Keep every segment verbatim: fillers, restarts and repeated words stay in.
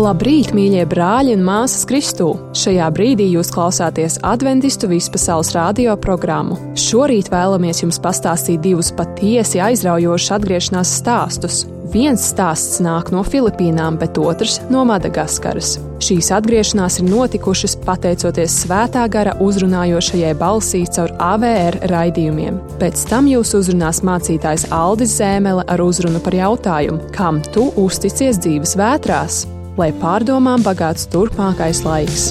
Labrīt, mīļie brāļi un māsas Kristū! Šajā brīdī jūs klausāties Adventistu vispasaules radio programmu. Šorīt vēlamies jums pastāstīt divus patiesi aizraujošus atgriešanās stāstus. Viens stāsts nāk no Filipīnām, bet otrs no Madagaskaras. Šīs atgriešanās ir notikušas pateicoties Svētā gara uzrunājošajai balsī caur A V R raidījumiem. Pēc tam jūs uzrunās mācītājs Aldis Zēmele ar uzrunu par jautājumu, kam tu uzticies dzīves vētrās? Lai pārdomām bagāts turpmākais laiks.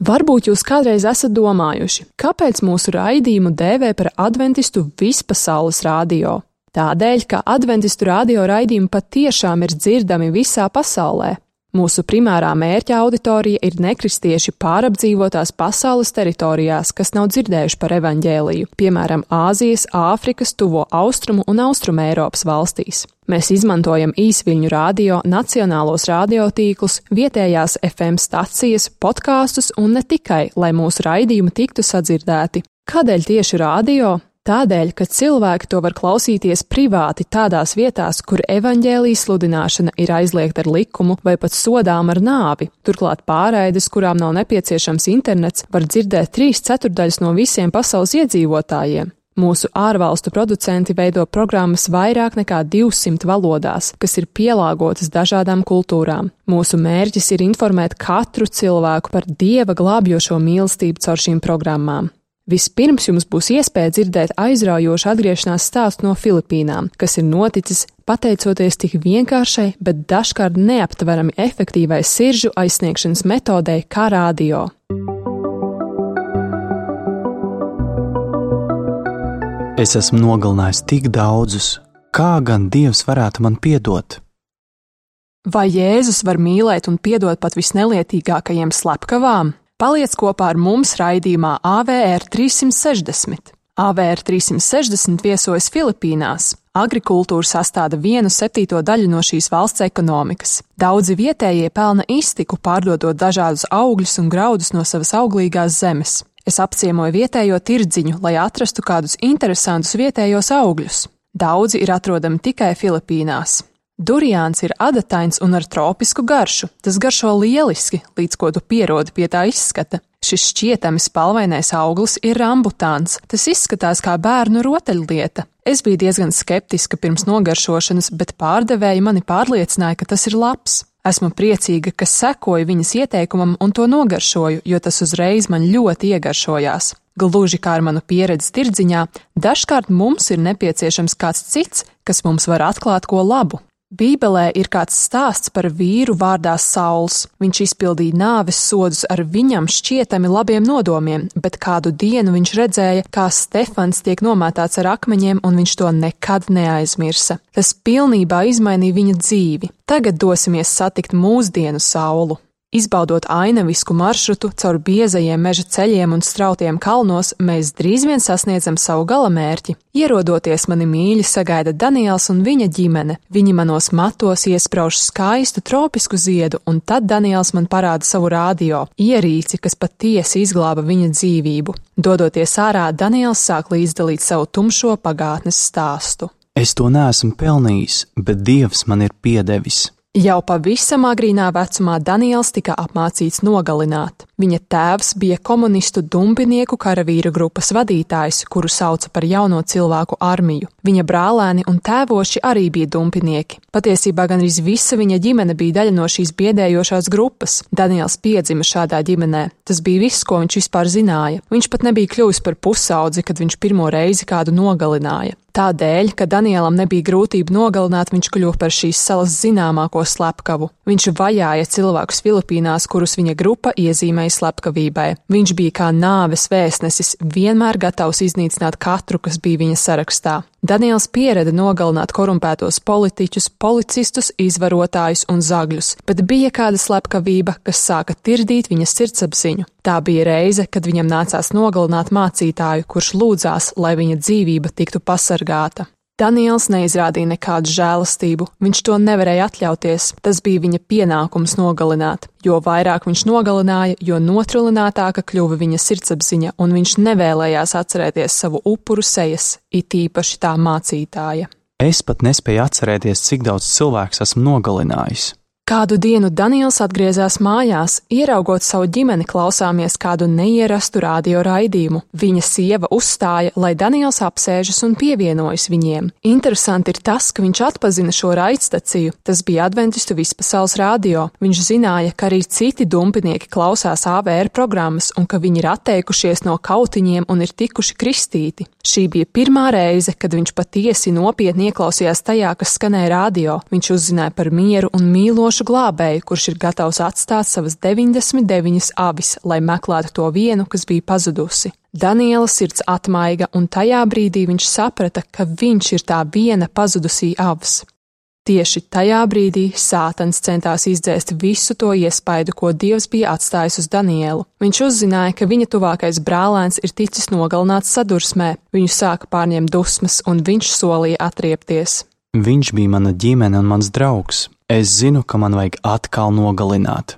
Varbūt jūs kādreiz esat domājuši, kāpēc mūsu raidījumu dēvē par Adventistu vispasaules radio? Tādēļ, ka Adventistu radio raidījumi patiešām ir dzirdami visā pasaulē. Mūsu primārā mērķa auditorija ir nekristieši pārapdzīvotās pasaules teritorijās, kas nav dzirdējuši par evaņģēliju, piemēram, Āzijas, Āfrikas, Tuvo Austrumu un Austrumu Eiropas valstīs. Mēs izmantojam īsviļņu radio, nacionālos radiotīklus, vietējās F M stacijas, podkāstus un ne tikai, lai mūsu raidījumi tiktu sadzirdēti. Kādēļ tieši radio? Tādēļ, ka cilvēki to var klausīties privāti tādās vietās, kur evaņģēlijas sludināšana ir aizliegta ar likumu vai pat sodām ar nāvi. Turklāt pārraides, kurām nav nepieciešams internets, var dzirdēt trīs ceturdaļas no visiem pasaules iedzīvotājiem. Mūsu ārvalstu producenti veido programmas vairāk nekā divsimt valodās, kas ir pielāgotas dažādām kultūrām. Mūsu mērķis ir informēt katru cilvēku par Dieva glābjošo mīlestību caur šīm programmām. Vispirms jums būs iespēja dzirdēt aizraujošu atgriešanās stāstu no Filipīnām, kas ir noticis pateicoties tik vienkāršai, bet dažkārt neaptverami efektīvai siržu aizsniegšanas metodei kā radio. Es esmu nogalinājis tik daudzus, kā gan Dievs varētu man piedot? Vai Jēzus var mīlēt un piedot pat visnelietīgākajiem slepkavām? Paliec kopā ar mums raidījumā A V R trīssimt sešdesmit. A V R trīssimt sešdesmit viesojas Filipīnās. Agrikultūra sastāda vienu septīto daļu no šīs valsts ekonomikas. Daudzi vietējie pelna iztiku, pārdodot dažādus augļus un graudus no savas auglīgās zemes. Es apciemoju vietējo tirdziņu, lai atrastu kādus interesantus vietējos augļus. Daudzi ir atrodami tikai Filipīnās. Duriāns ir adatains un ar tropisku garšu. Tas garšo lieliski, līdz ko tu pierodi pie tā izskata. Šis šķietami spalvainais auglis ir rambutāns. Tas izskatās kā bērnu rotaļlieta. Es biju diezgan skeptiska pirms nogaršošanas, bet pārdevēji mani pārliecināja, ka tas ir labs. Esmu priecīga, ka sekoju viņas ieteikumam un to nogaršoju, jo tas uzreiz man ļoti iegaršojās. Gluži kā ar manu pieredzi tirdziņā, dažkārt mums ir nepieciešams kāds cits, kas mums var atklāt ko labu. Bībelē ir kāds stāsts par vīru vārdā Sauls. Viņš izpildīja nāves sodus ar viņam šķietami labiem nodomiem, bet kādu dienu viņš redzēja, kā Stefans tiek nomētāts ar akmeņiem, un viņš to nekad neaizmirsa. Tas pilnībā izmainīja viņa dzīvi. Tagad dosimies satikt mūsdienu Saulu. Izbaudot ainavisku maršrutu caur biezajiem meža ceļiem un strautiem kalnos, mēs drīz vien sasniedzam savu galamērķi. Ierodoties mani mīļi sagaida Daniels un viņa ģimene. Viņi manos matos iesprauž skaistu tropisku ziedu, un tad Daniels man parāda savu radio, ierīci, kas patiesi izglāba viņa dzīvību. Dodoties ārā, Daniels sāk līdzdalīt savu tumšo pagātnes stāstu. Es to neesmu pelnījis, bet Dievs man ir piedevis. Jau pavisam agrīnā vecumā Daniels tika apmācīts nogalināt. Viņa tēvs bija komunistu dumpinieku karavīru grupas vadītājs, kuru sauca par jauno cilvēku armiju. Viņa brālēni un tēvoši arī bija dumpinieki. Patiesībā gandrīz visa viņa ģimene bija daļa no šīs biedējošās grupas. Daniels piedzima šādā ģimenē. Tas bija viss, ko viņš vispār zināja. Viņš pat nebija kļuvis par pusaudzi, kad viņš pirmo reizi kādu nogalināja. Tādēļ, ka Danielam nebija grūtība nogalināt, viņš kļuva par šīs salas zināmāko slepkavu. Viņš vajāja cilvēkus Filipīnās, kurus viņa grupa iezīmēja slepkavībai. Viņš bija kā nāves vēstnesis, vienmēr gatavs iznīcināt katru, kas bija viņa sarakstā. Daniels piereda nogalināt korumpētos politiķus, policistus, izvarotājus un zagļus, bet bija kāda slepkavība, kas sāka tirdīt viņa sirdsapziņu. Tā bija reize, kad viņam nācās nogalināt mācītāju, kurš lūdzās, lai viņa dzīvība tiktu pasargāta. Daniels neizrādīja nekādu žēlastību, viņš to nevarēja atļauties, tas bija viņa pienākums nogalināt. Jo vairāk viņš nogalināja, jo notrulinātāka kļuva viņa sirdsapziņa, un viņš nevēlējās atcerēties savu upuru sejas, it īpaši tā mācītāja. Es pat nespēju atcerēties, cik daudz cilvēks esmu nogalinājis. Kādu dienu Daniels atgriezās mājās, ieraugot savu ģimeni, klausāmies kādu neierastu radio raidījumu. Viņa sieva uzstāja, lai Daniels apsēžas un pievienojas viņiem. Interesanti ir tas, ka viņš atpazina šo raidstaciju. Tas bija Adventistu vispasaules radio. Viņš zināja, ka arī citi dumpinieki klausās A V R programmas un ka viņi ir atteikušies no kautiņiem un ir tikuši kristīti. Šī bija pirmā reize, kad viņš patiesi nopietni ieklausījās tajā, kas skanēja radio. Viņš uzzināja par mieru un mīlošu glābēju, kurš ir gatavs atstāt savas deviņdesmit deviņas avis, lai meklētu to vienu, kas bija pazudusi. Daniela sirds atmaiga, un tajā brīdī viņš saprata, ka viņš ir tā viena pazudusī avs. Tieši tajā brīdī Sātans centās izdzēst visu to iespaidu, ko Dievs bija atstājis uz Danielu. Viņš uzzināja, ka viņa tuvākais brālēns ir ticis nogalināts sadursmē, viņu sāka pārņemt dusmas, un viņš solīja atriepties. Viņš bija mana ģimene un mans draugs. Es zinu, ka man vajag atkal nogalināt.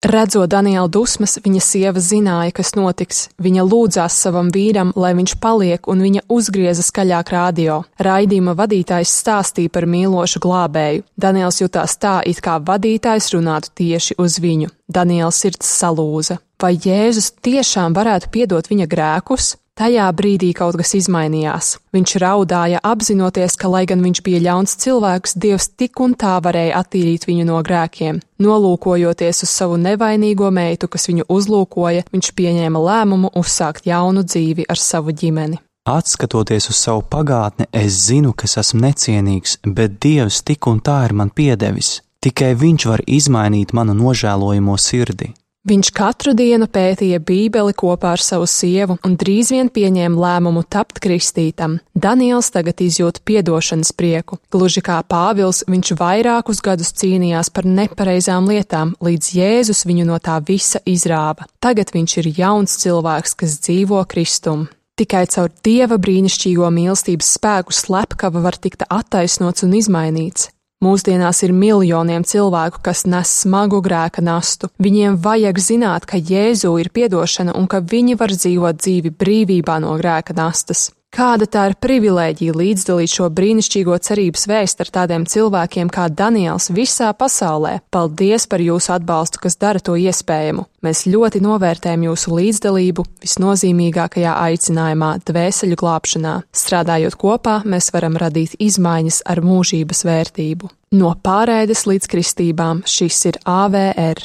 Redzot Daniela dusmas, viņa sieva zināja, kas notiks. Viņa lūdzās savam vīram, lai viņš paliek, un viņa uzgrieza skaļāk radio. Raidījuma vadītājs stāstīja par mīlošu glābēju. Daniels jutās tā, it kā vadītājs runātu tieši uz viņu. Daniela sirds salūza. Vai Jēzus tiešām varētu piedot viņa grēkus? Tajā brīdī kaut kas izmainījās. Viņš raudāja, apzinoties, ka, lai gan viņš bija ļauns cilvēks, Dievs tik un tā varēja attīrīt viņu no grēkiem. Nolūkojoties uz savu nevainīgo meitu, kas viņu uzlūkoja, viņš pieņēma lēmumu uzsākt jaunu dzīvi ar savu ģimeni. Atskatoties uz savu pagātni, es zinu, ka es esmu necienīgs, bet Dievs tik un tā ir man piedevis. Tikai Viņš var izmainīt manu nožēlojamo sirdi. Viņš katru dienu pētīja Bībeli kopā ar savu sievu un drīz vien pieņēma lēmumu tapt kristītam. Daniels tagad izjūt piedošanas prieku. Gluži kā Pāvils, viņš vairākus gadus cīnījās par nepareizām lietām, līdz Jēzus viņu no tā visa izrāva. Tagad viņš ir jauns cilvēks, kas dzīvo Kristum. Tikai caur Dieva brīnišķīgo mīlestības spēku slepkava var tikt attaisnots un izmainīts. Mūsdienās ir miljoniem cilvēku, kas nes smagu grēka nastu. Viņiem vajag zināt, ka Jēzu ir piedošana un ka viņi var dzīvot dzīvi brīvībā no grēka nastas. Kāda tā ir privilēģija līdzdalīt šo brīnišķīgo cerības vēstu ar tādiem cilvēkiem kā Daniels visā pasaulē. Paldies par jūsu atbalstu, kas dara to iespējamu. Mēs ļoti novērtējam jūsu līdzdalību visnozīmīgākajā aicinājumā dvēseļu glābšanā. Strādājot kopā, mēs varam radīt izmaiņas ar mūžības vērtību. No pārēdes līdz kristībām šis ir A V R.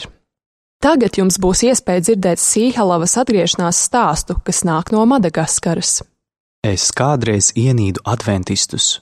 Tagad jums būs iespēja dzirdēt Sīhalavas atgriešanās stāstu, kas nāk no Madagaskaras. Es kādreiz ienīdu adventistus.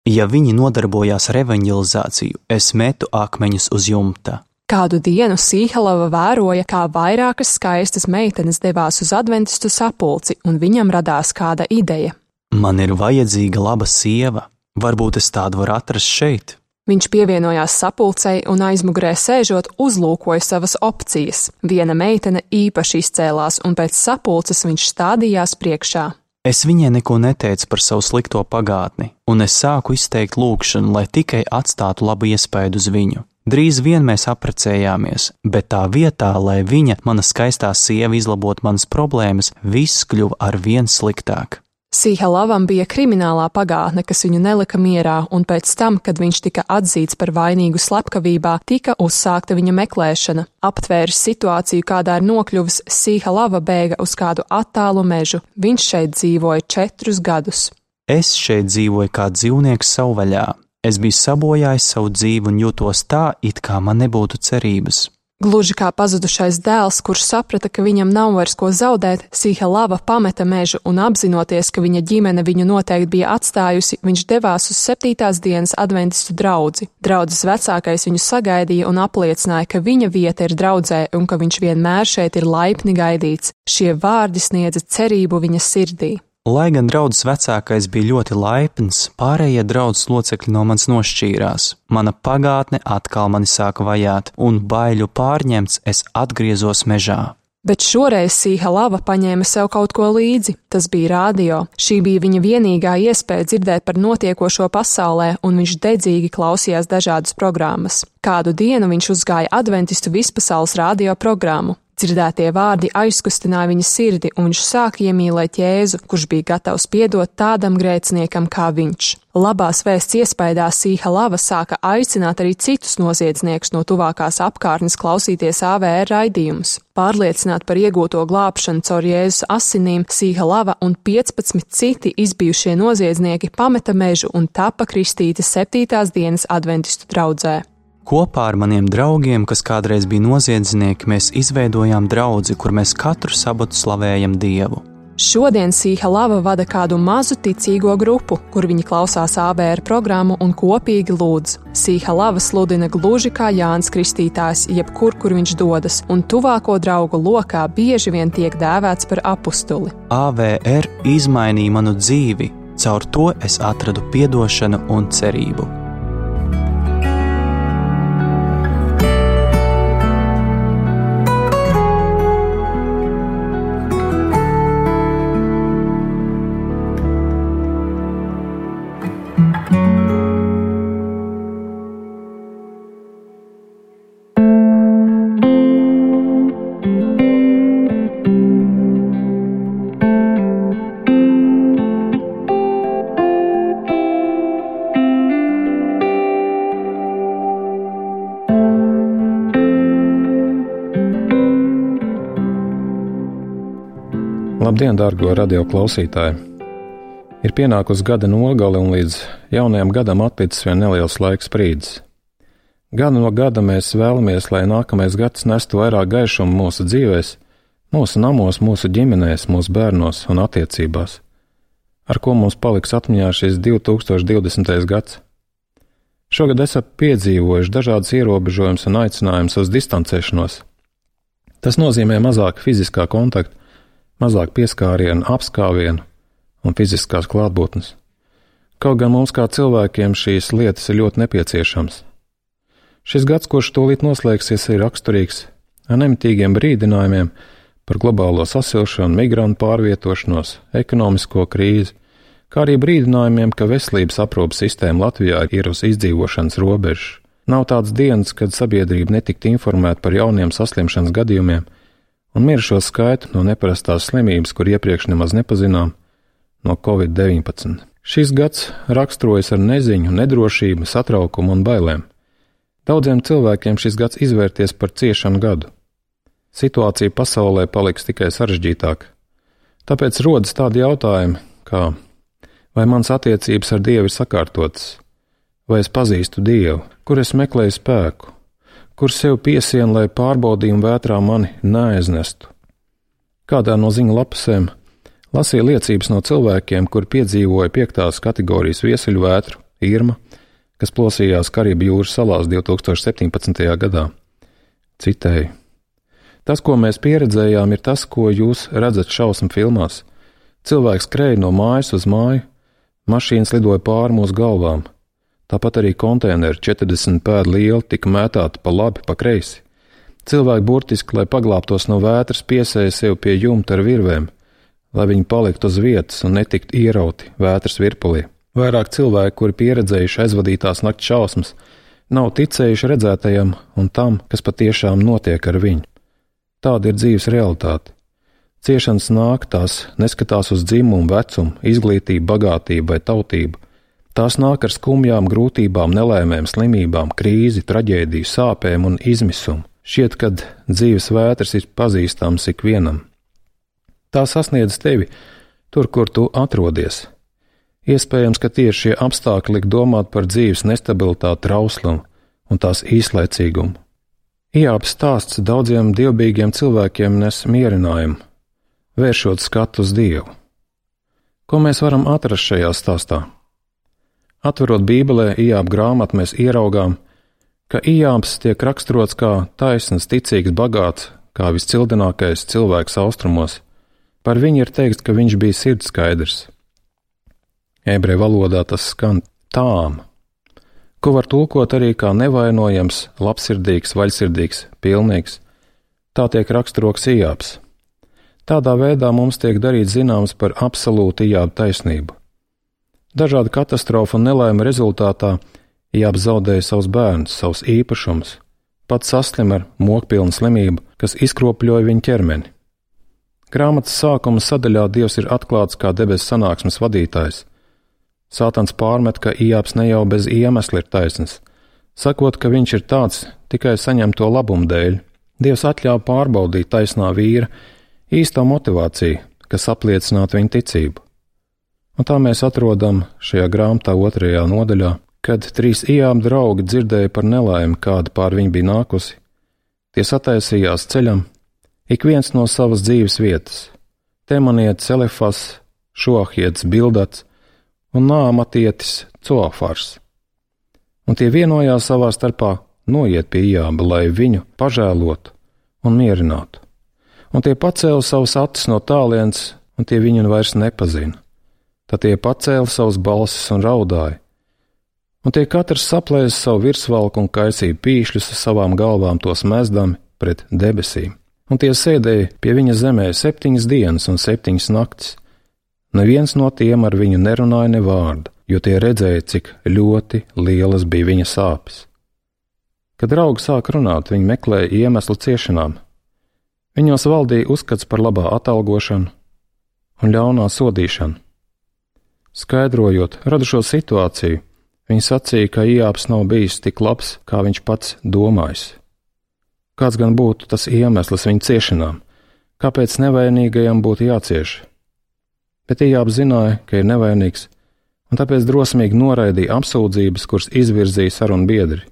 Ja viņi nodarbojās ar evaņģelizāciju, es metu akmeņus uz jumta. Kādu dienu Sīhalava vēroja, kā vairākas skaistas meitenes devās uz adventistu sapulci, un viņam radās kāda ideja. Man ir vajadzīga laba sieva, varbūt es tādu varu atrast šeit. Viņš pievienojās sapulcei un aizmugurē sēžot uzlūkoja savas opcijas. Viena meitene īpaši izcēlās, un pēc sapulces viņš stādījās priekšā. Es viņai neko neteicu par savu slikto pagātni, un es sāku izteikt lūgšanu, lai tikai atstātu labu iespaidu uz viņu. Drīz vien mēs apprecējāmies, bet tā vietā, lai viņa, mana skaistā sieva, izlabot manas problēmas, viss kļuva ar vien sliktāk. Sīhalavam bija kriminālā pagātne, kas viņu nelika mierā, un pēc tam, kad viņš tika atzīts par vainīgu slepkavībā, tika uzsākta viņa meklēšana. Aptvēris situāciju, kādā ir nokļuvis, Sīhalava bēga uz kādu attālu mežu. Viņš šeit dzīvoja četrus gadus. Es šeit dzīvoju kā dzīvnieks savvaļā. Es biju sabojājis savu dzīvi un jūtos tā, it kā man nebūtu cerības. Gluži kā pazudušais dēls, kurš saprata, ka viņam nav vairs ko zaudēt, Sīhalava pameta mežu un apzinoties, ka viņa ģimene viņu noteikti bija atstājusi, viņš devās uz septītās dienas adventistu draudzi. Draudzes vecākais viņu sagaidīja un apliecināja, ka viņa vieta ir draudzē un ka viņš vienmēr šeit ir laipni gaidīts. Šie vārdi sniedza cerību viņa sirdī. Lai gan draudzes vecākais bija ļoti laipns, pārējie draudzes locekļi no manis nošķīrās. Mana pagātne atkal mani sāka vajāt, un baiļu pārņemts es atgriezos mežā. Bet šoreiz Sīha Lava paņēma sev kaut ko līdzi. Tas bija rādio. Šī bija viņa vienīgā iespēja dzirdēt par notiekošo pasaulē, un viņš dedzīgi klausījās dažādas programmas. Kādu dienu viņš uzgāja adventistu vispasaules radio programmu. Dzirdētie vārdi aizkustināja viņa sirdi, un viņš sāka iemīlēt Jēzu, kurš bija gatavs piedot tādam grēciniekam kā viņš. Labās vēsts iespaidā Sīha Lava sāka aicināt arī citus noziedzniekus no tuvākās apkārtnes klausīties A V R raidījumus. Pārliecināt par iegūto glābšanu caur Jēzus asinīm, Sīha Lava un piecpadsmit citi izbijušie noziedznieki pameta mežu un tapa kristīti septītās dienas adventistu draudzē. Kopā ar maniem draugiem, kas kādreiz bija noziedznieki, mēs izveidojām draudzi, kur mēs katru sabatu slavējam Dievu. Šodien Sīha Lava vada kādu mazu ticīgo grupu, kur viņi klausās A V R programmu un kopīgi lūdz. Sīha Lava sludina gluži kā Jānis Kristītājs, jebkur, kur viņš dodas, un tuvāko draugu lokā bieži vien tiek dēvēts par apustuli. A V R izmainīja manu dzīvi, caur to es atradu piedošanu un cerību. Labdien, dārgo radio klausītāji! Ir pienākusi gada nogale un līdz jaunajam gadam atlicis vien neliels laiks brīdis. Gadu no gada mēs vēlamies, lai nākamais gads nestu vairāk gaišumu mūsu dzīvēs, mūsu namos, mūsu ģimenēs, mūsu bērnos un attiecībās. Ar ko mums paliks atmiņā šis divi tūkstoši divdesmitais gads? Šogad esam piedzīvojuši dažādas ierobežojumus un aicinājumus uz distancēšanos. Tas nozīmē mazāk fiziskā kontakta, mazāk pieskārienu, apskāvienu un fiziskās klātbūtnes. Kaut gan mums kā cilvēkiem šīs lietas ir ļoti nepieciešams. Šis gads, kurš tūlīt noslēgsies, ir raksturīgs ar nemitīgiem brīdinājumiem par globālo sasilšanu, migrantu pārvietošanos, ekonomisko krīzi, kā arī brīdinājumiem, ka veselības aprūpes sistēma Latvijā ir uz izdzīvošanas robežas. Nav tādas dienas, kad sabiedrība netiktu informēta par jauniem saslimšanas gadījumiem un mirušo skaitu no neparastās slimības, kur iepriekš nemaz nepazinām, no covid deviņpadsmit. Šis gads raksturojas ar neziņu, nedrošību, satraukumu un bailēm. Daudziem cilvēkiem šis gads izvērties par ciešanu gadu. Situācija pasaulē paliks tikai sarežģītāka. Tāpēc rodas tādi jautājumi, kā: vai mans attiecības ar Dievu ir sakārtotas? Vai es pazīstu Dievu? Kur es meklēju spēku? Kur sev piesienu, lai pārbaudījumu vētrā mani neaiznestu? Kādā no ziņu lapusēm lasīja liecības no cilvēkiem, kur piedzīvoja piektās kategorijas viesuļu vētru Irma, kas plosījās Karību jūras salās divi tūkstoši septiņpadsmitajā gadā. Citēju: tas, ko mēs pieredzējām, ir tas, ko jūs redzat šausmu filmās. Cilvēks skrēja no mājas uz māju, mašīnas lidoja pāri mūsu galvām. Tāpat arī konteineri četrdesmit pēdu lieli tika mētāti pa labi, pa kreisi. Cilvēki burtiski, lai paglābtos no vētras, piesēja sev pie jumta ar virvēm, lai viņi paliktu uz vietas un netiktu ierauti vētras virpulī. Vairāk cilvēki, kuri pieredzējuši aizvadītās nakts šausmas, nav ticējuši redzētajam un tam, kas patiešām notiek ar viņu. Tāda ir dzīves realitāte. Ciešanas nāk, tās neskatās uz dzimumu, vecumu, izglītību, bagātību vai tautību. Tās nāk ar skumjām, grūtībām, nelēmēm, slimībām, krīzi, traģēdiju, sāpēm un izmisumu. Šķiet, kad dzīves vētras ir pazīstams ikvienam. Tā sasniedz tevi tur, kur tu atrodies. Iespējams, ka tieši šie apstākļi liek domāt par dzīves nestabilitāti, trauslumu un tās īslaicīgumu. Ijāba stāsts daudziem dievbijīgiem cilvēkiem nes mierinājumu, vēršot skatu uz Dievu. Ko mēs varam atrast šajā stāstā? Atverot Bībelē Ijāba grāmatu, mēs ieraugām, ka Ijābs tiek raksturots kā taisns, ticīgs, bagāts, kā viscildinākais cilvēks austrumos. Par viņu ir teikts, ka viņš bija sirdskaidrs. Ebreju valodā tas skan tām, ko var tulkot arī kā nevainojams, labsirdīgs, vaļsirdīgs, pilnīgs. Tā tiek raksturots Ijābs. Tādā veidā mums tiek darīts zināms par absolūtu Ijāba taisnību. Dažādu katastrofu un nelaimi rezultātā Ijābs zaudēja savus bērnus, savus īpašumus, pats saslim ar mokpilnu slimību, kas izkropļoja viņa ķermeni. Grāmatas sākuma sadaļā Dievs ir atklāts kā debesu sanāksmes vadītājs. Sātans pārmet, ka Ijābs ne jau bez iemesla ir taisns, sakot, ka viņš ir tāds tikai saņemto labumu dēļ. Dievs atļāva pārbaudīt taisnā vīra īsto motivāciju, kas apliecinātu viņa ticību. Un tā mēs atrodam šajā grāmatā otrajā nodaļā, kad trīs Ijāba draugi dzirdēja par nelaimi, kāda pār viņu bija nākusi. Tie sataisījās ceļam, ik viens no savas dzīves vietas – Temanietis Elefas, Šoahietis Bildats un Nāmatietis Coafars. Un tie vienojās savā starpā noiet pie Ijāba, lai viņu pažēlotu un mierinātu. Un tie pacēla savus acis no tālienes, un tie viņu vairs nepazina. Tad tie pacēla savus balsis un raudāja. Un tie katrs saplēsa savu virsvalku un kaisīja pīšļus uz savām galvām tos mezdami pret debesīm. Un tie sēdēja pie viņa zemē septiņas dienas un septiņas naktis. Neviens no tiem ar viņu nerunāja ne vārdu, jo tie redzēja, cik ļoti lielas bija viņa sāpes. Kad draugi sāk runāt, viņi meklēja iemeslu ciešanām. Viņos valdīja uzskats par labā atalgošanu un ļaunā sodīšanu. Skaidrojot radušo situāciju, viņi sacīja, ka Ijābs nav bijis tik labs, kā viņš pats domājis. Kāds gan būtu tas iemesls viņa ciešanām, kāpēc nevainīgajam būtu jācieš? Bet Ijābs zināja, ka ir nevainīgs, un tāpēc drosmīgi noraidīja apsūdzības, kuras izvirzīja sarunu biedri.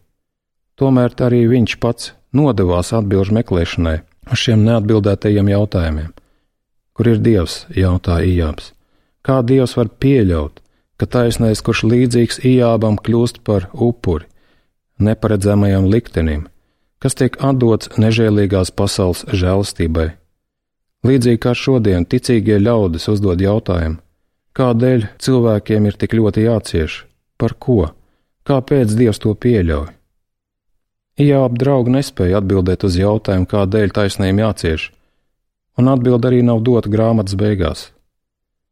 Tomēr arī viņš pats nodevās atbilžu meklēšanai uz šiem neatbildētajiem jautājumiem. Kur ir Dievs, jautāja Ijābs. Kā Dievs var pieļaut, ka taisnais, kurš līdzīgs Ijābam, kļūst par upuri, neparedzamajam liktenim, kas tiek atdots nežēlīgās pasaules žēlastībai? Līdzīgi kā šodien ticīgie ļaudis uzdod jautājumu, kādēļ cilvēkiem ir tik ļoti jācieš, par ko, kāpēc Dievs to pieļauj? Ijāba draugi nespēja atbildēt uz jautājumu, kādēļ taisnējiem jācieš, un atbild arī nav dota grāmatas beigās.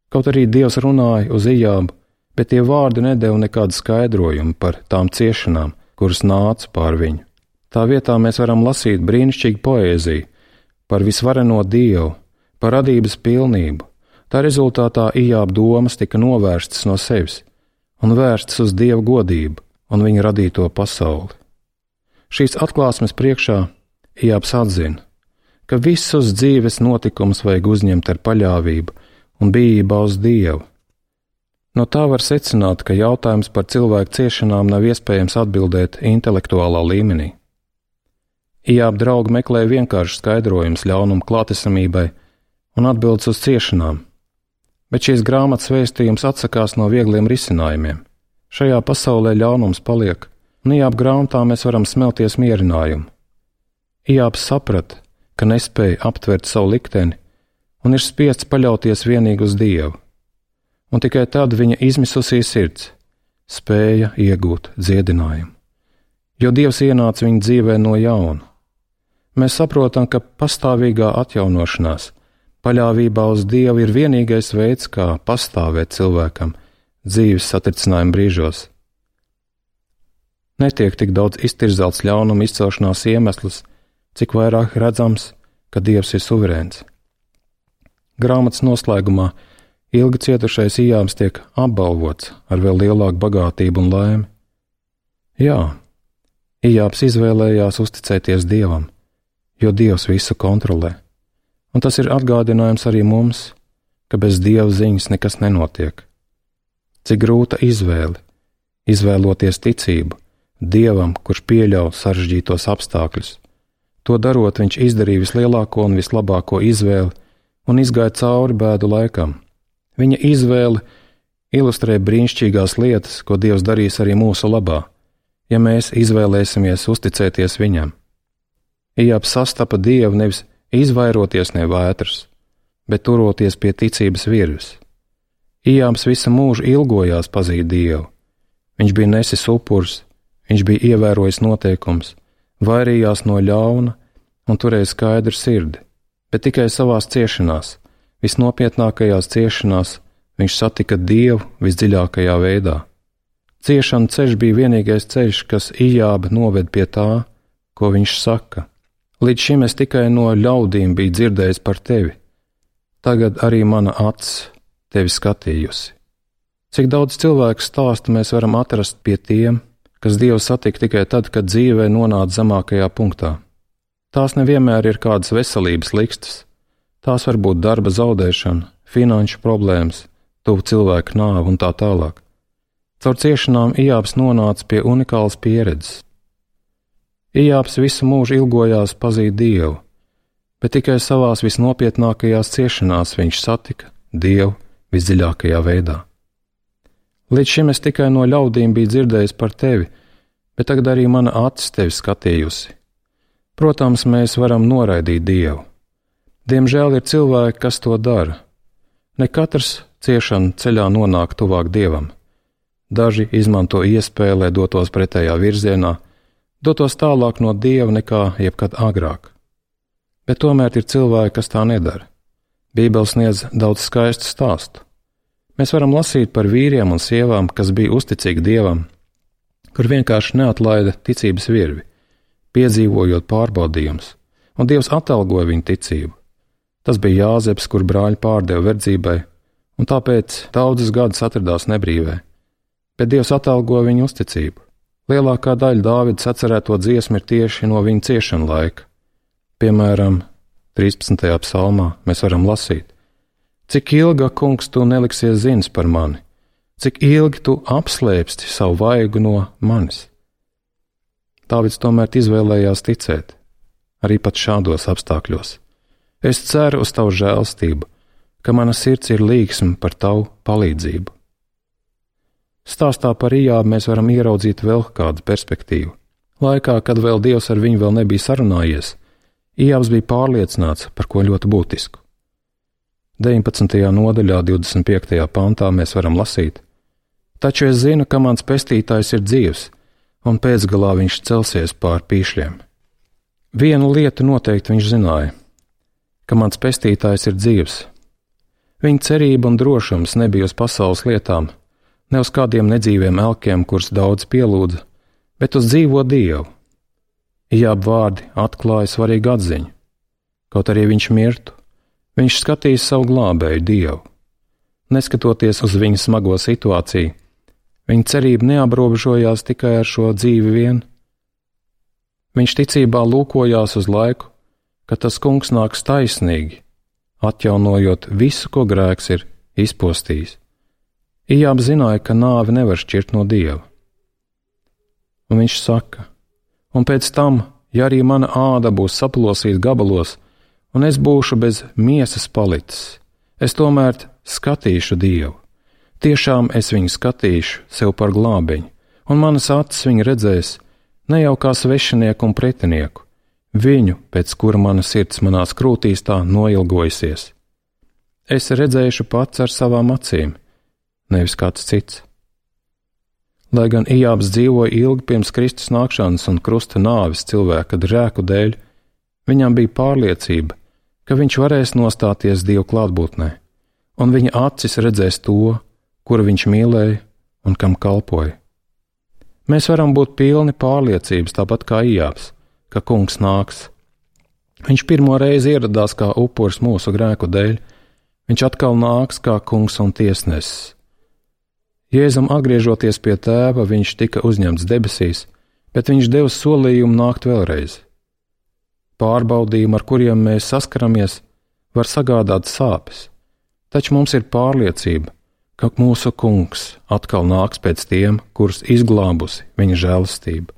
Kaut arī Dievs runāja uz Ijābu, bet tie vārdi nedeva nekādu skaidrojumu par tām ciešanām, kuras nāca pār viņu. Tā vietā mēs varam lasīt brīnišķīgu poēziju par visvareno Dievu, par radības pilnību. Tā rezultātā Ijāba domas tika novērstas no sevis un vērstas uz Dieva godību un viņa radīto pasauli. Šīs atklāsmes priekšā Ijābs atzina, ka visus dzīves notikumus vajag uzņemt ar paļāvību un bijībā uz Dievu. No tā var secināt, ka jautājums par cilvēku ciešanām nav iespējams atbildēt intelektuālā līmenī. Ijāba draugi meklēja vienkārši skaidrojumus ļaunuma klātesamībai un atbildes uz ciešanām, bet šīs grāmatas vēstījums atsakās no viegliem risinājumiem. Šajā pasaulē ļaunums paliek, un Ijāba grāmatā mēs varam smelties mierinājumu. Ijābs saprata, ka nespēja aptvert savu likteni un ir spiests paļauties vienīgi uz Dievu, un tikai tad viņa izmisusī sirds spēja iegūt dziedinājumu, jo Dievs ienāca viņa dzīvē no jauna. Mēs saprotam, ka pastāvīgā atjaunošanās, paļāvībā uz Dievu ir vienīgais veids, kā pastāvēt cilvēkam dzīves satricinājuma brīžos. Netiek tik daudz iztirzelts ļaunuma izcelšanās iemesls, cik vairāk redzams, ka Dievs ir suverēns. Grāmatas noslēgumā ilgi cietušais Ijābs tiek apbalvots ar vēl lielāku bagātību un laimi. Jā, Ijābs izvēlējās uzticēties Dievam, jo Dievs visu kontrolē, un tas ir atgādinājums arī mums, ka bez Dieva ziņas nekas nenotiek. Cik grūta izvēle, izvēloties ticību Dievam, kurš pieļauj sarežģītos apstākļus. To darot, viņš izdarīja vislielāko un vislabāko izvēli un izgāja cauri bēdu laikam. Viņa izvēle ilustrē brīnišķīgās lietas, ko Dievs darīs arī mūsu labā, ja mēs izvēlēsimies uzticēties Viņam. Ijābs sastapa Dievu nevis izvairoties no vētras, bet turoties pie ticības virves. Ijābs visu mūžu ilgojās pazīt Dievu. Viņš bija nesis upurs, viņš bija ievērojis noteikums, vairījās no ļauna un turēja skaidru sirdi, bet tikai savās ciešanās, visnopietnākajās ciešanās, viņš satika Dievu visdziļākajā veidā. Ciešanu ceļš bija vienīgais ceļš, kas Ijāba noved pie tā, ko viņš saka. Līdz šim es tikai no ļaudīm biju dzirdējis par tevi. Tagad arī mana acs tevi skatījusi. Cik daudz cilvēku stāstu mēs varam atrast pie tiem, kas Dievu satika tikai tad, kad dzīvē nonāca zemākajā punktā. Tās nevienmēr ir kādas veselības likstas. Tās var būt darba zaudēšana, finanšu problēmas, tuvu cilvēku nāve un tā tālāk. Caur ciešanām Ijābs nonāca pie unikālas pieredzes. Ijābs visu mūžu ilgojās pazīt Dievu, bet tikai savās visnopietnākajās ciešanās viņš satika Dievu visdziļākajā veidā. Līdz šim es tikai no ļaudīm biju dzirdējis par tevi, bet tagad arī mana acis tevi skatījusi. Protams, mēs varam noraidīt Dievu. Diemžēl ir cilvēki, kas to dara. Ne katrs ciešanu ceļā nonāk tuvāk Dievam. Daži izmanto iespēju, lai dotos pretējā virzienā, dotos tālāk no Dieva nekā jebkad agrāk. Bet tomēr ir cilvēki, kas tā nedara. Bībele sniedz daudz skaistu stāstu. Mēs varam lasīt par vīriem un sievām, kas bija uzticīgi Dievam, kur vienkārši neatlaida ticības virvi, piedzīvojot pārbaudījumus, un Dievs atalgoja viņu ticību. Tas bija Jāzeps, kur brāļi pārdeva verdzībai, un tāpēc daudzus gadus atradās nebrīvē, bet Dievs atalgoja viņu uzticību. Lielākā daļa Dāvida sacerēto dziesmu ir tieši no viņa ciešanu laika. Piemēram, trīspadsmitajā psalmā mēs varam lasīt: Cik ilga, kungs, tu neliksies zins par mani, cik ilgi tu apslēpsti savu vaigu no manis. Dāvids tomēr izvēlējās ticēt, arī pat šādos apstākļos. Es ceru uz tavu žēlstību, ka mana sirds ir līgsma par tavu palīdzību. Stāstā par Ijābu mēs varam ieraudzīt vēl kādu perspektīvu. Laikā, kad vēl Dievs ar viņu vēl nebija sarunājies, Ijābs bija pārliecināts par ko ļoti būtisku. deviņpadsmitajā nodaļā, divdesmit piektajā pantā mēs varam lasīt: Taču es zinu, ka mans pestītājs ir dzīvs, un pēcgalā viņš celsies pār pīšļiem. Vienu lietu noteikti viņš zināja, ka mans pestītājs ir dzīvs. Viņa cerība un drošums nebija uz pasaules lietām, ne uz kādiem nedzīviem elkiem, kurus daudz pielūdza, bet uz dzīvo Dievu. Ijāba vārdi atklāja svarīgu atziņu. Kaut arī viņš mirtu, viņš skatīs savu glābēju Dievu. Neskatoties uz viņa smago situāciju, viņa cerība neaprobežojās tikai ar šo dzīvi vien. Viņš ticībā lūkojās uz laiku, kad tas kungs nāks taisnīgi, atjaunojot visu, ko grēks ir izpostījis. Ijāba zināja, ka nāve nevar šķirt no Dieva. Un viņš saka: Un pēc tam, ja arī mana āda būs saplosīta gabalos, un es būšu bez miesas palicis, es tomēr skatīšu Dievu. Tiešām es viņu skatīšu sev par glābiņu, un manas acis viņu redzēs ne jau kā svešinieku un pretinieku, viņu, pēc kura mana sirds manās krūtīs tā noilgojusies. Es redzēšu pats ar savām acīm, nevis kāds cits. Lai gan Ijābs dzīvoja ilgi pirms Kristus nākšanas un krusta nāves cilvēka grēku dēļ, viņam bija pārliecība, ka viņš varēs nostāties Dieva klātbūtnē, un viņa acis redzēs to, kuru viņš mīlēja un kam kalpoja. Mēs varam būt pilni pārliecības, tāpat kā Ijābs, ka kungs nāks. Viņš pirmo reizi ieradās kā upuris mūsu grēku dēļ, viņš atkal nāks kā kungs un tiesnesis. Jēzum atgriežoties pie tēva, viņš tika uzņemts debesīs, bet viņš deva solījumu nākt vēlreiz. Pārbaudījumi, ar kuriem mēs saskaramies, var sagādāt sāpes, taču mums ir pārliecība, ka mūsu kungs atkal nāks pēc tiem, kurus izglābusi viņa žēlastība.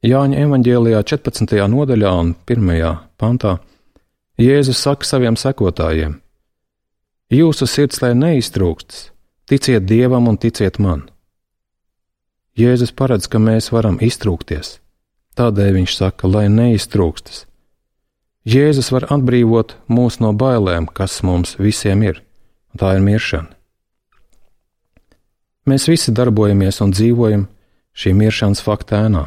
Jāņa evaņģēlijā četrpadsmitajā nodaļā un pirmajā pantā Jēzus saka saviem sekotājiem: Jūsu sirds lai neiztrūkstas, ticiet Dievam un ticiet man. Jēzus paredz, ka mēs varam iztrūkties, tādēļ viņš saka, lai neiztrūkstas. Jēzus var atbrīvot mūs no bailēm, kas mums visiem ir, un tā ir miršana. Mēs visi darbojamies un dzīvojam šī miršanas fakta ēnā.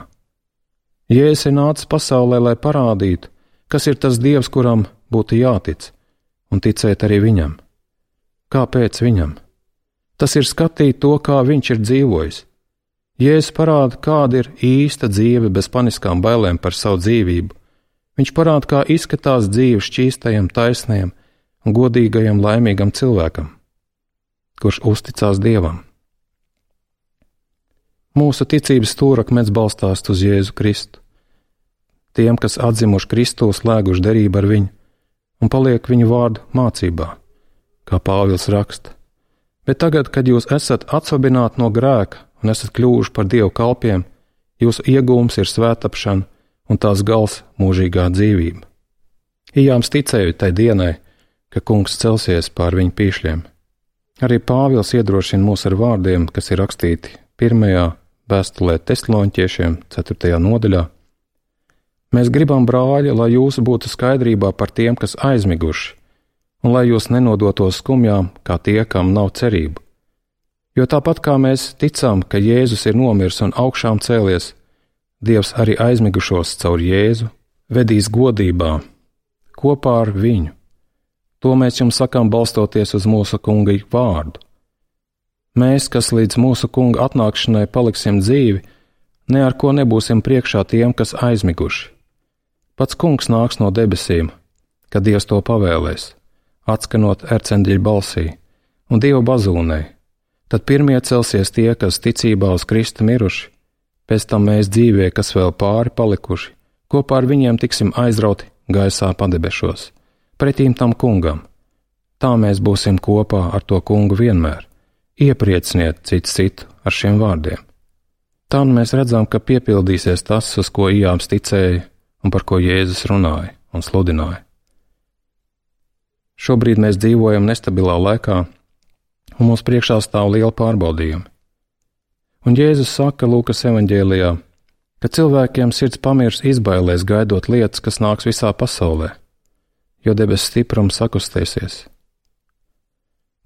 Jēzus ir nācis pasaulē, lai parādītu, kas ir tas Dievs, kuram būtu jātic, un ticēt arī viņam. Kāpēc viņam? Tas ir skatīt to, kā viņš ir dzīvojis. Jēzus parāda, kāda ir īsta dzīve bez paniskām bailēm par savu dzīvību. Viņš parāda, kā izskatās dzīve šķīstajam, taisnajam un godīgajam, laimīgam cilvēkam, kurš uzticās Dievam. Mūsu ticības stūrakmens balstās uz Jēzu Kristu. Tiem, kas atzimuši Kristu, slēguši derību ar viņu un paliek viņu vārdu mācībā, kā Pāvils raksta. Bet tagad, kad jūs esat atsvabināti no grēka un esat kļuvuši par Dievu kalpiem, jūsu iegūms ir svētapšana un tās gals mūžīgā dzīvība. Ijāms ticēja tai dienai, ka Kungs celsies pār viņu pīšļiem. Arī Pāvils iedrošina mūs ar vārdiem, kas ir rakstīti pirmajā vēstulē Tesaloņķiešiem, ceturtajā nodaļā. Mēs gribam, brāļi, lai jūs būtu skaidrībā par tiem, kas aizmiguši, un lai jūs nenodotos skumjām, kā tie, kam nav cerību. Jo tāpat kā mēs ticam, ka Jēzus ir nomirs un augšām cēlies, Dievs arī aizmigušos caur Jēzu vedīs godībā kopā ar viņu. To mēs jums sakām balstoties uz mūsu Kunga vārdu. Mēs, kas līdz mūsu Kunga atnākšanai paliksim dzīvi, ne ar ko nebūsim priekšā tiem, kas aizmiguši. Pats Kungs nāks no debesīm, kad Dievs to pavēlēs, atskanot ercenģeļa balsī un Dieva bazūnei. Tad pirmie celsies tie, kas ticībā uz Kristu miruši, pēc tam mēs dzīvie, kas vēl pāri palikuši, kopā ar viņiem tiksim aizrauti gaisā padebešos, pretīm tam Kungam. Tā mēs būsim kopā ar to Kungu vienmēr. Ieprieciniet cits citu ar šiem vārdiem. Tā mēs redzam, ka piepildīsies tas, uz ko Ijāms ticēja un par ko Jēzus runāja un sludināja. Šobrīd mēs dzīvojam nestabilā laikā, un mums priekšā stāv liela pārbaudījumi. Un Jēzus saka Lūkas evaņģēlijā, ka cilvēkiem sirds pamirs izbailēs gaidot lietas, kas nāks visā pasaulē, jo debesu stiprums sakustēsies.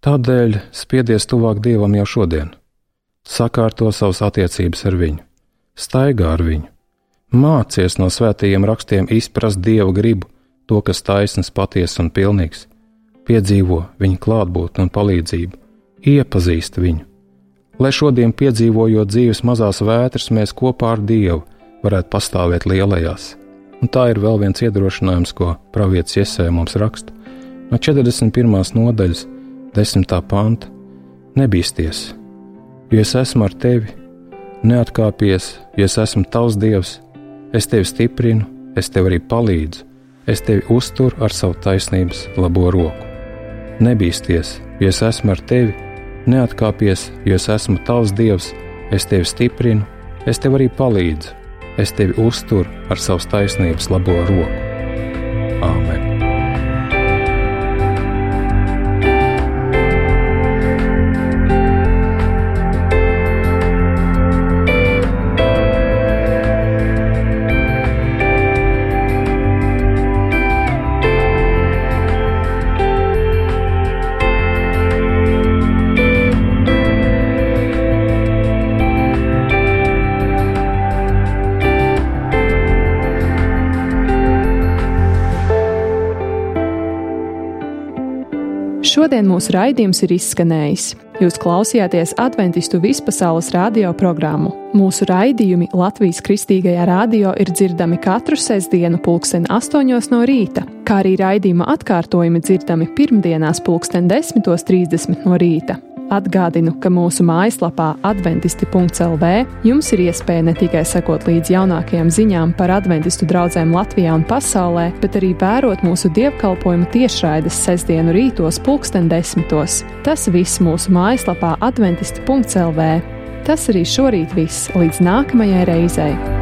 Tādēļ spiedies tuvāk Dievam jau šodien, sakārto savas attiecības ar viņu, staigā ar viņu, mācies no svētajiem rakstiem izprast Dieva gribu, to, kas taisns, patiess un pilnīgs, piedzīvo viņa klātbūtni un palīdzību, iepazīst viņu, lai šodien piedzīvojot dzīves mazās vētras, mēs kopā ar Dievu varētu pastāvēt lielajās. Un tā ir vēl viens iedrošinājums, ko pravietis Jesaja mums raksta. No četrdesmit pirmās nodaļas, desmitā panta: Nebīsties, jo es esmu ar tevi, neatkāpies, jo es esmu tavs Dievs, es tevi stiprinu, es tev arī palīdzu, es tevi uzturu ar savu taisnības labo roku. Nebīsties, jo es esmu ar tevi, neatkāpies, jo es esmu tavs Dievs, es tevi stiprinu, es tev arī palīdzu, es tevi uzturu ar savas taisnības labo roku. Āmen. Šodien mūsu raidījums ir izskanējis. Jūs klausījāties Adventistu vispasaules radio programmu. Mūsu raidījumi Latvijas Kristīgajā radio ir dzirdami katru sestdienu pulksten astoņos no rīta, kā arī raidījuma atkārtojumi dzirdami pirmdienās pulksten desmitos trīsdesmit no rīta. Atgādinu, ka mūsu mājaslapā adventisti punkts el vē jums ir iespēja ne tikai sekot līdz jaunākajām ziņām par adventistu draudzēm Latvijā un pasaulē, bet arī vērot mūsu dievkalpojumu tiešraides sestdienu rītos pulksten desmitos. Tas viss mūsu mājaslapā adventisti punkts el vē. Tas arī šorīt viss, līdz nākamajai reizei.